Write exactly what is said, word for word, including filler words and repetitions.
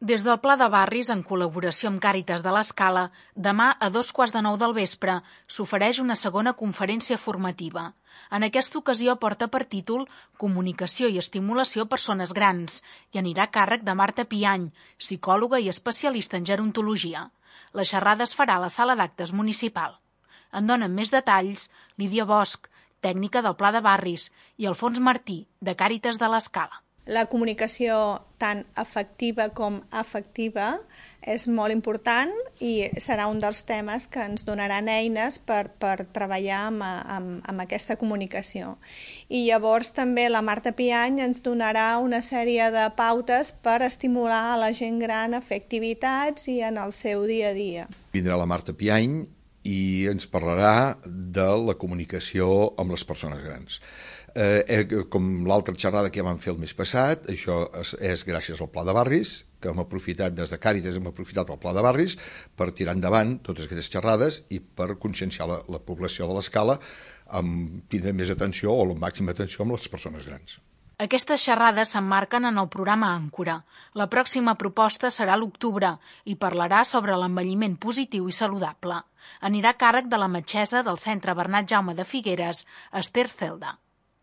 Des del Pla de Barris, en col·laboració amb Càritas de l'Escala, demà a dos quarts de nou del vespre s'ofereix una segona conferència formativa. En aquesta ocasió porta per títol Comunicació i estimulació a persones grans i anirà a càrrec de Marta Piany, psicòloga i especialista en gerontologia. La xerrada es farà a la sala d'actes municipal. En donen més detalls Lídia Bosch, tècnica del Pla de Barris, i Alfons Martí, de Càritas de l'Escala. La comunicació tant afectiva com afectiva és molt important i serà un dels temes que ens donaran eines per, per treballar amb, amb, amb aquesta comunicació. I llavors també la Marta Piany ens donarà una sèrie de pautes per estimular a la gent gran a fer activitats i en el seu dia a dia. Vindrà la Marta Piany i ens parlarà de la comunicació amb les persones grans. Eh, com l'altra xerrada que ja vam fer el mes passat, això és, és gràcies al Pla de Barris, que hem aprofitat des de Càritas, hem aprofitat el Pla de Barris per tirar endavant totes aquestes xerrades i per conscienciar la, la població de l'Escala amb tindre més atenció o la màxima atenció amb les persones grans. Aquestes xerrades s'emmarquen en el programa Àncora. La pròxima proposta serà a l'octubre i parlarà sobre l'envelliment positiu i saludable. Anirà a càrrec de la metgessa del Centre Bernat Jaume de Figueres, Esther Celda.